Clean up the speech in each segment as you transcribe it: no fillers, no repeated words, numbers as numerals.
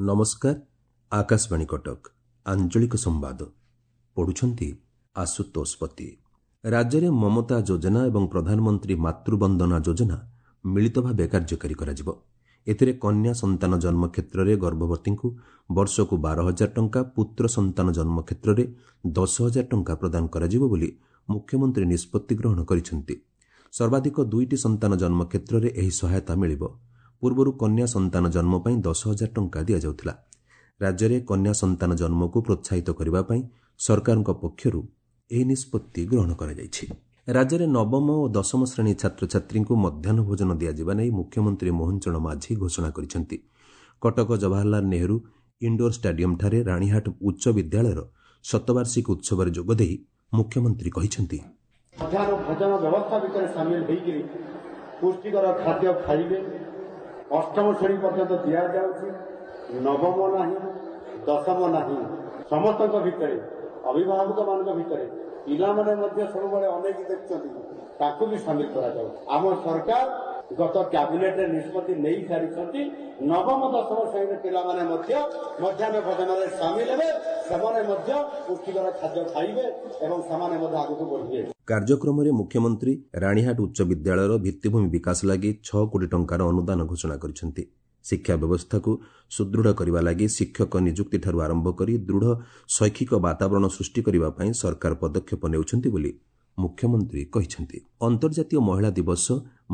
ନମସ୍କାର, ଆକାଶବାଣୀ କଟକ, ଆଞ୍ଚଳିକ ସମ୍ବାଦ ପଢୁଛନ୍ତି ଆଶୁତୋଷ ପତି। ରାଜ୍ୟରେ ମମତା ଯୋଜନା ଏବଂ ପ୍ରଧାନମନ୍ତ୍ରୀ ମାତୃବନ୍ଦନା ଯୋଜନା ମିଳିତ ଭାବେ କାର୍ଯ୍ୟକାରୀ କରାଯିବ। ଏଥିରେ କନ୍ୟା ସନ୍ତାନ ଜନ୍ମ କ୍ଷେତ୍ରରେ ଗର୍ଭବତୀଙ୍କୁ ବର୍ଷକୁ 12,000 ଟଙ୍କା, ପୁତ୍ର ସନ୍ତାନ ଜନ୍ମ କ୍ଷେତ୍ରରେ 10,000 ଟଙ୍କା ପ୍ରଦାନ କରାଯିବ ବୋଲି ମୁଖ୍ୟମନ୍ତ୍ରୀ ନିଷ୍ପତ୍ତି ଗ୍ରହଣ କରିଛନ୍ତି। ସର୍ବାଧିକ 2ଟି ସନ୍ତାନ ଜନ୍ମ କ୍ଷେତ୍ରରେ ଏହି ସହାୟତା ମିଳିବ। ପୂର୍ବରୁ କନ୍ୟା ସନ୍ତାନ ଜନ୍ମ ପାଇଁ 10,000 ଟଙ୍କା ଦିଆଯାଉଥିଲା। ରାଜ୍ୟରେ କନ୍ୟା ସନ୍ତାନ ଜନ୍ମକୁ ପ୍ରୋତ୍ସାହିତ କରିବା ପାଇଁ ସରକାରଙ୍କ ପକ୍ଷରୁ ଏହି ନିଷ୍ପତ୍ତି ଗ୍ରହଣ କରାଯାଇଛି। ରାଜ୍ୟରେ ନବମ ଓ ଦଶମ ଶ୍ରେଣୀ ଛାତ୍ରଛାତ୍ରୀଙ୍କୁ ମଧ୍ୟାହ୍ନ ଭୋଜନ ଦିଆଯିବା ନେଇ ମୁଖ୍ୟମନ୍ତ୍ରୀ ମୋହନ ଚରଣ ମାଝୀ ଘୋଷଣା କରିଛନ୍ତି। କଟକ ଜବାହରଲାଲ ନେହେରୁ ଇଣ୍ଡୋର ଷ୍ଟାଡିୟମଠାରେ ରାଣୀହାଟ ଉଚ୍ଚ ବିଦ୍ୟାଳୟର ଶତବାର୍ଷିକୀ ଉତ୍ସବରେ ଯୋଗଦେଇ ମୁଖ୍ୟମନ୍ତ୍ରୀ କହିଛନ୍ତି, ମଧ୍ୟାହ୍ନ ଭୋଜନ ବ୍ୟବସ୍ଥା ଭିତରେ ସାମିଲ ହୋଇକରି ପୁଷ୍ଟିକର ଖାଦ୍ୟ ଖାଇବେ। ଅଷ୍ଟମ ଶ୍ରେଣୀ ପର୍ଯ୍ୟନ୍ତ ଦିଆଯାଉଛି, ନବମ ନାହିଁ, ଦଶମ ନାହିଁ। ସମସ୍ତଙ୍କ ଭିତରେ, ଅଭିଭାବକମାନଙ୍କ ଭିତରେ ପିଲାମାନେ ମଧ୍ୟ ସବୁବେଳେ ଅନେକ ଦେଖୁଛନ୍ତି, ତାକୁ ବି ସାମିଲ କରାଯାଉ। ଆମ ସରକାର ଗତ କ୍ୟାବିନେଟରେ ନିଷ୍ପତ୍ତି ନେଇ ସାରିଛନ୍ତି, ନବମ ଦଶମ ଶ୍ରେଣୀର ପିଲାମାନେ ମଧ୍ୟ ମଧ୍ୟାହ୍ନ ଭୋଜନରେ ସାମିଲ ହେବେ, ସେମାନେ ମଧ୍ୟ ପୁଷ୍ଟିକର ଖାଦ୍ୟ ଖାଇବେ ଏବଂ ସେମାନେ ମଧ୍ୟ ଆଗକୁ ବଢ଼ିବେ। କାର୍ଯ୍ୟକ୍ରମରେ ମୁଖ୍ୟମନ୍ତ୍ରୀ ରାଣୀହାଟ ଉଚ୍ଚ ବିଦ୍ୟାଳୟର ଭିତ୍ତିଭୂମି ବିକାଶ ଲାଗି 6 କୋଟି ଟଙ୍କାର ଅନୁଦାନ ଘୋଷଣା କରିଛନ୍ତି। ଶିକ୍ଷା ବ୍ୟବସ୍ଥାକୁ ସୁଦୃଢ଼ କରିବା ଲାଗି ଶିକ୍ଷକ ନିଯୁକ୍ତିଠାରୁ ଆରମ୍ଭ କରି ଦୃଢ଼ ଶୈକ୍ଷିକ ବାତାବରଣ ସୃଷ୍ଟି କରିବା ପାଇଁ ସରକାର ପଦକ୍ଷେପ ନେଉଛନ୍ତି ବୋଲି ମୁଖ୍ୟମନ୍ତ୍ରୀ କହିଛନ୍ତି। ଅନ୍ତର୍ଜାତୀୟ ମହିଳା ଦିବସ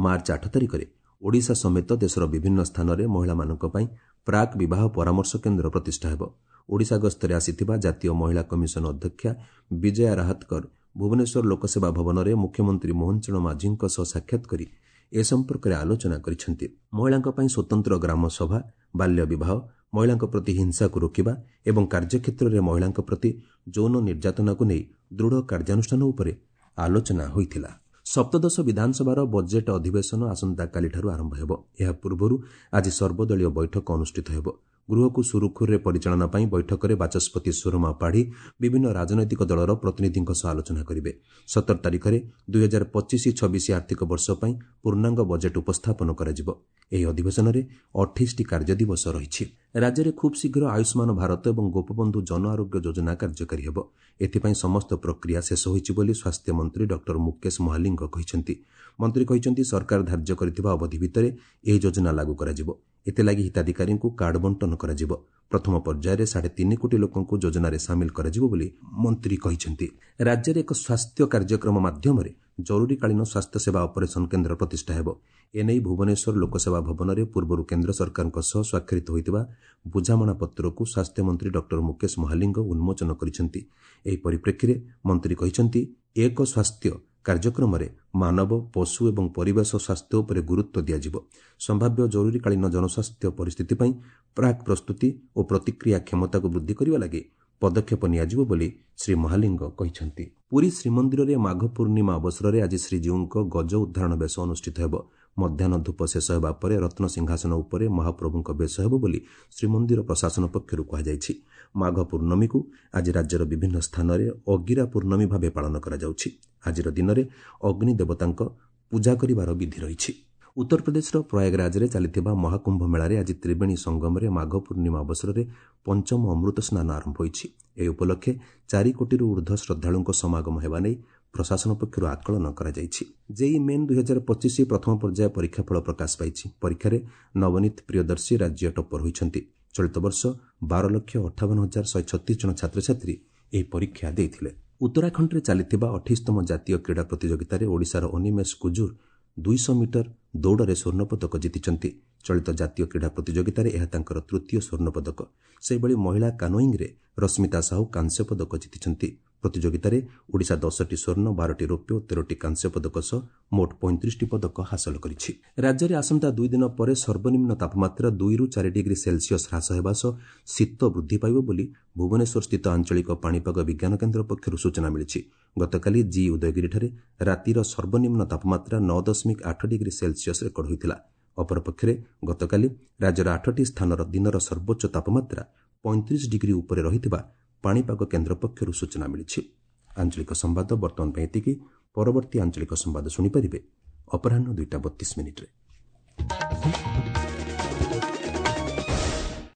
ମାର୍ଚ୍ଚ 8 ତାରିଖରେ ଓଡ଼ିଶା ସମେତ ଦେଶର ବିଭିନ୍ନ ସ୍ଥାନରେ ମହିଳାମାନଙ୍କ ପାଇଁ ପ୍ରାକ୍ ବିବାହ ପରାମର୍ଶ କେନ୍ଦ୍ର ପ୍ରତିଷ୍ଠା ହେବ। ଓଡ଼ିଶା ଗସ୍ତରେ ଆସିଥିବା ଜାତୀୟ ମହିଳା କମିଶନ ଅଧ୍ୟକ୍ଷା ବିଜୟା ରାହତକର ଭୁବନେଶ୍ୱର ଲୋକସେବା ଭବନରେ ମୁଖ୍ୟମନ୍ତ୍ରୀ ମୋହନ ଚରଣ ମାଝୀଙ୍କ ସହ ସାକ୍ଷାତ କରି ଏ ସମ୍ପର୍କରେ ଆଲୋଚନା କରିଛନ୍ତି। ମହିଳାଙ୍କ ପାଇଁ ସ୍ୱତନ୍ତ୍ର ଗ୍ରାମ ସଭା, ବାଲ୍ୟ ବିବାହ, ମହିଳାଙ୍କ ପ୍ରତି ହିଂସାକୁ ରୋକିବା ଏବଂ କାର୍ଯ୍ୟକ୍ଷେତ୍ରରେ ମହିଳାଙ୍କ ପ୍ରତି ଯୌନ ନିର୍ଯାତନାକୁ ନେଇ ଦୃଢ଼ କାର୍ଯ୍ୟାନୁଷ୍ଠାନ ଉପରେ ଆଲୋଚନା ହୋଇଥିଲା। ସପ୍ତଦଶ ବିଧାନସଭାର ବଜେଟ୍ ଅଧିବେଶନ ଆସନ୍ତାକାଲିଠାରୁ ଆରମ୍ଭ ହେବ। ଏହା ପୂର୍ବରୁ ଆଜି ସର୍ବଦଳୀୟ ବୈଠକ ଅନୁଷ୍ଠିତ ହେବ। ଗୃହକୁ ସୁରୁଖୁରୁରେ ପରିଚାଳନା ପାଇଁ ବୈଠକରେ ବାଚସ୍ପତି ସୁରମା ପାଢ଼ୀ ବିଭିନ୍ନ ରାଜନୈତିକ ଦଳର ପ୍ରତିନିଧିଙ୍କ ସହ ଆଲୋଚନା କରିବେ। 17 ତାରିଖରେ 2025-26 ଆର୍ଥିକ ବର୍ଷ ପାଇଁ ପୂର୍ଣ୍ଣାଙ୍ଗ ବଜେଟ୍ ଉପସ୍ଥାପନ କରାଯିବ। ଏହି ଅଧିବେଶନରେ 28ଟି କାର୍ଯ୍ୟଦିବସ ରହିଛି। ରାଜ୍ୟରେ ଖୁବ୍ ଶୀଘ୍ର ଆୟୁଷ୍ମାନ ଭାରତ ଏବଂ ଗୋପବନ୍ଧୁ ଜନ ଆରୋଗ୍ୟ ଯୋଜନା କାର୍ଯ୍ୟକାରୀ ହେବ। ଏଥିପାଇଁ ସମସ୍ତ ପ୍ରକ୍ରିୟା ଶେଷ ହୋଇଛି ବୋଲି ସ୍ୱାସ୍ଥ୍ୟମନ୍ତ୍ରୀ ଡକ୍ଟର ମୁକେଶ ମହାଲିଙ୍ଗ କହିଛନ୍ତି। ମନ୍ତ୍ରୀ କହିଛନ୍ତି, ସରକାର ଧାର୍ଯ୍ୟ କରିଥିବା ଅବଧି ଭିତରେ ଏହି ଯୋଜନା ଲାଗୁ କରାଯିବ। ଏଥିଲାଗି ହିତାଧିକାରୀଙ୍କୁ କାର୍ଡ ବଣ୍ଟନ କରାଯିବ। ପ୍ରଥମ ପର୍ଯ୍ୟାୟରେ 3.5 କୋଟି ଲୋକଙ୍କୁ ଯୋଜନାରେ ସାମିଲ କରାଯିବ ବୋଲି ମନ୍ତ୍ରୀ କହିଛନ୍ତି। ରାଜ୍ୟରେ ଏକ ସ୍ୱାସ୍ଥ୍ୟ କାର୍ଯ୍ୟକ୍ରମ ମାଧ୍ୟମରେ ଜରୁରୀକାଳୀନ ସ୍ୱାସ୍ଥ୍ୟସେବା ଅପରେସନ କେନ୍ଦ୍ର ପ୍ରତିଷ୍ଠା ହେବ। ଏନେଇ ଭୁବନେଶ୍ୱର ଲୋକସେବା ଭବନରେ ପୂର୍ବରୁ କେନ୍ଦ୍ର ସରକାରଙ୍କ ସହ ସ୍ୱାକ୍ଷରିତ ହୋଇଥିବା ବୁଝାମଣାପତ୍ରକୁ ସ୍ୱାସ୍ଥ୍ୟମନ୍ତ୍ରୀ ଡକ୍ଟର ମୁକେଶ ମହାଲିଙ୍ଗ ଉନ୍ମୋଚନ କରିଛନ୍ତି। ଏହି ପରିପ୍ରେକ୍ଷୀରେ ମନ୍ତ୍ରୀ କହିଛନ୍ତି, ଏକ ସ୍ୱାସ୍ଥ୍ୟ କାର୍ଯ୍ୟକ୍ରମରେ ମାନବ, ପଶୁ ଏବଂ ପରିବେଶ ସ୍ୱାସ୍ଥ୍ୟ ଉପରେ ଗୁରୁତ୍ୱ ଦିଆଯିବ। ସମ୍ଭାବ୍ୟ ଜରୁରୀକାଳୀନ ଜନସ୍ୱାସ୍ଥ୍ୟ ପରିସ୍ଥିତି ପାଇଁ ପ୍ରାକ୍ ପ୍ରସ୍ତୁତି ଓ ପ୍ରତିକ୍ରିୟା କ୍ଷମତାକୁ ବୃଦ୍ଧି କରିବା ଲାଗି ପଦକ୍ଷେପ ନିଆଯିବ ବୋଲି ଶ୍ରୀ ମହାଲିଙ୍ଗ କହିଛନ୍ତି। ପୁରୀ ଶ୍ରୀମନ୍ଦିରରେ ମାଘ ପୂର୍ଣ୍ଣିମା ଅବସରରେ ଆଜି ଶ୍ରୀଜୀଉଙ୍କ ଗଜ ଉଦ୍ଧାରଣ ବେଶ ଅନୁଷ୍ଠିତ ହେବ। ମଧ୍ୟାହ୍ନ ଧୂପ ଶେଷ ହେବା ପରେ ରତ୍ନ ସିଂହାସନ ଉପରେ ମହାପ୍ରଭୁଙ୍କ ବେଶ ହେବ ବୋଲି ଶ୍ରୀମନ୍ଦିର ପ୍ରଶାସନ ପକ୍ଷରୁ କୁହାଯାଇଛି। ମାଘ ପୂର୍ଣ୍ଣମୀକୁ ଆଜି ରାଜ୍ୟର ବିଭିନ୍ନ ସ୍ଥାନରେ ଅଗିରା ପୂର୍ଣ୍ଣମୀ ଭାବେ ପାଳନ କରାଯାଉଛି। ଆଜିର ଦିନରେ ଅଗ୍ନି ଦେବତାଙ୍କ ପୂଜା କରିବାର ବିଧି ରହିଛି। ଉତ୍ତରପ୍ରଦେଶର ପ୍ରୟାଗରାଜରେ ଚାଲିଥିବା ମହାକୁମ୍ଭ ମେଳାରେ ଆଜି ତ୍ରିବେଣୀ ସଙ୍ଗମରେ ମାଘ ପୂର୍ଣ୍ଣିମା ଅବସରରେ ପଞ୍ଚମ ଅମୃତ ସ୍ନାନ ଆରମ୍ଭ ହୋଇଛି। ଏହି ଉପଲକ୍ଷେ 4 କୋଟିରୁ ଉର୍ଦ୍ଧ୍ୱ ଶ୍ରଦ୍ଧାଳୁଙ୍କ ସମାଗମ ହେବା ନେଇ ପ୍ରଶାସନ ପକ୍ଷରୁ ଆକଳନ କରାଯାଇଛି। ଜେଇଇ ମେନ୍ 2025 ପ୍ରଥମ ପର୍ଯ୍ୟାୟ ପରୀକ୍ଷାଫଳ ପ୍ରକାଶ ପାଇଛି। ପରୀକ୍ଷାରେ ନବନୀତ ପ୍ରିୟଦର୍ଶୀ ରାଜ୍ୟ ଟପ୍ପର ହୋଇଛନ୍ତି। ଚଳିତ ବର୍ଷ 12,58,136 ଜଣ ଛାତ୍ରଛାତ୍ରୀ ଏହି ପରୀକ୍ଷା ଦେଇଥିଲେ। ଉତ୍ତରାଖଣ୍ଡରେ ଚାଲିଥିବା 28ତମ ଜାତୀୟ କ୍ରୀଡ଼ା ପ୍ରତିଯୋଗିତାରେ ଓଡ଼ିଶାର ଅନିମେଷ କୁଜୁର 200 ମିଟର ଦୌଡ଼ରେ ସ୍ୱର୍ଣ୍ଣପଦକ ଜିତିଛନ୍ତି। ଚଳିତ ଜାତୀୟ କ୍ରୀଡ଼ା ପ୍ରତିଯୋଗିତାରେ ଏହା ତାଙ୍କର ତୃତୀୟ ସ୍ୱର୍ଣ୍ଣପଦକ। ସେହିଭଳି ମହିଳା କାନୋଇଂରେ ରଶ୍ମିତା ସାହୁ କାଂସ୍ୟ ପଦକ ଜିତିଛନ୍ତି। ପ୍ରତିଯୋଗିତାରେ ଓଡ଼ିଶା 10ଟି ସ୍ୱର୍ଣ୍ଣ, 12ଟି ରୌପ୍ୟ ଓ 13ଟି କାଂସ୍ୟ ପଦକ ସହ ମୋଟ 35ଟି ପଦକ ହାସଲ କରିଛି। ରାଜ୍ୟରେ ଆସନ୍ତା 2 ଦିନ ପରେ ସର୍ବନିମ୍ନ ତାପମାତ୍ରା 2ରୁ 4 ଡିଗ୍ରୀ ସେଲସିୟସ୍ ହ୍ରାସ ହେବା ସହ ଶୀତ ବୃଦ୍ଧି ପାଇବ ବୋଲି ଭୁବନେଶ୍ୱରସ୍ଥିତ ଆଞ୍ଚଳିକ ପାଣିପାଗ ବିଜ୍ଞାନ କେନ୍ଦ୍ର ପକ୍ଷରୁ ସୂଚନା ମିଳିଛି। ଗତକାଲି ଜି ଉଦୟଗିରିଠାରେ ରାତିର ସର୍ବନିମ୍ନ ତାପମାତ୍ରା 9.8 ଡିଗ୍ରୀ ସେଲସିୟସ୍ ରେକର୍ଡ ହୋଇଥିଲା। ଅପରପକ୍ଷରେ ଗତକାଲି ରାଜ୍ୟର 8ଟି ସ୍ଥାନର ଦିନର ସର୍ବୋଚ୍ଚ ତାପମାତ୍ରା 35 ଡିଗ୍ରୀ ଉପରେ ରହିଥିବା ପାଣିପାଗ କେନ୍ଦ୍ର ପକ୍ଷରୁ ସୂଚନା ମିଳିଛି। ଆଞ୍ଚଳିକ ସମ୍ବାଦ ବର୍ତ୍ତମାନ ପାଇଁ ଏତିକି। ପରବର୍ତ୍ତୀ ଆଞ୍ଚଳିକ ସମ୍ବାଦ ଶୁଣିପାରିବେ ଅପରାହ୍ନ 2ଟା 32 ମିନିଟ୍ରେ।